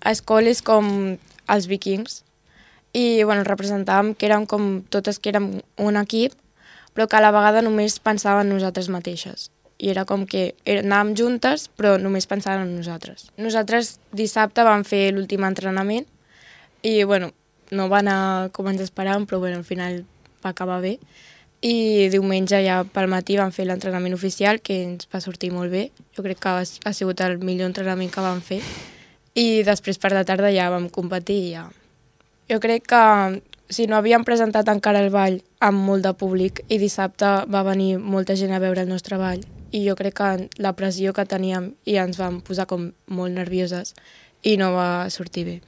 escoles com els vikings i bueno, representàvem que érem com totes que érem un equip, però que a la vegada només pensàvem en nosaltres mateixes. I era com que anàvem juntes, però només pensàvem en nosaltres. Nosaltres dissabte vam fer l'últim entrenament i bueno, no va anar com ens esperàvem, però bueno, al final va acabar bé. I diumenge ja pel matí vam fer l'entrenament oficial, que ens va sortir molt bé. Jo crec que ha sigut el millor entrenament que vam fer. I després per la tarda ja vam competir i ja. Jo crec que si no havíem presentat encara el ball amb molt de públic i dissabte va venir molta gent a veure el nostre ball i jo crec que la pressió que teníem i ens vam posar com molt nervioses i no va sortir bé.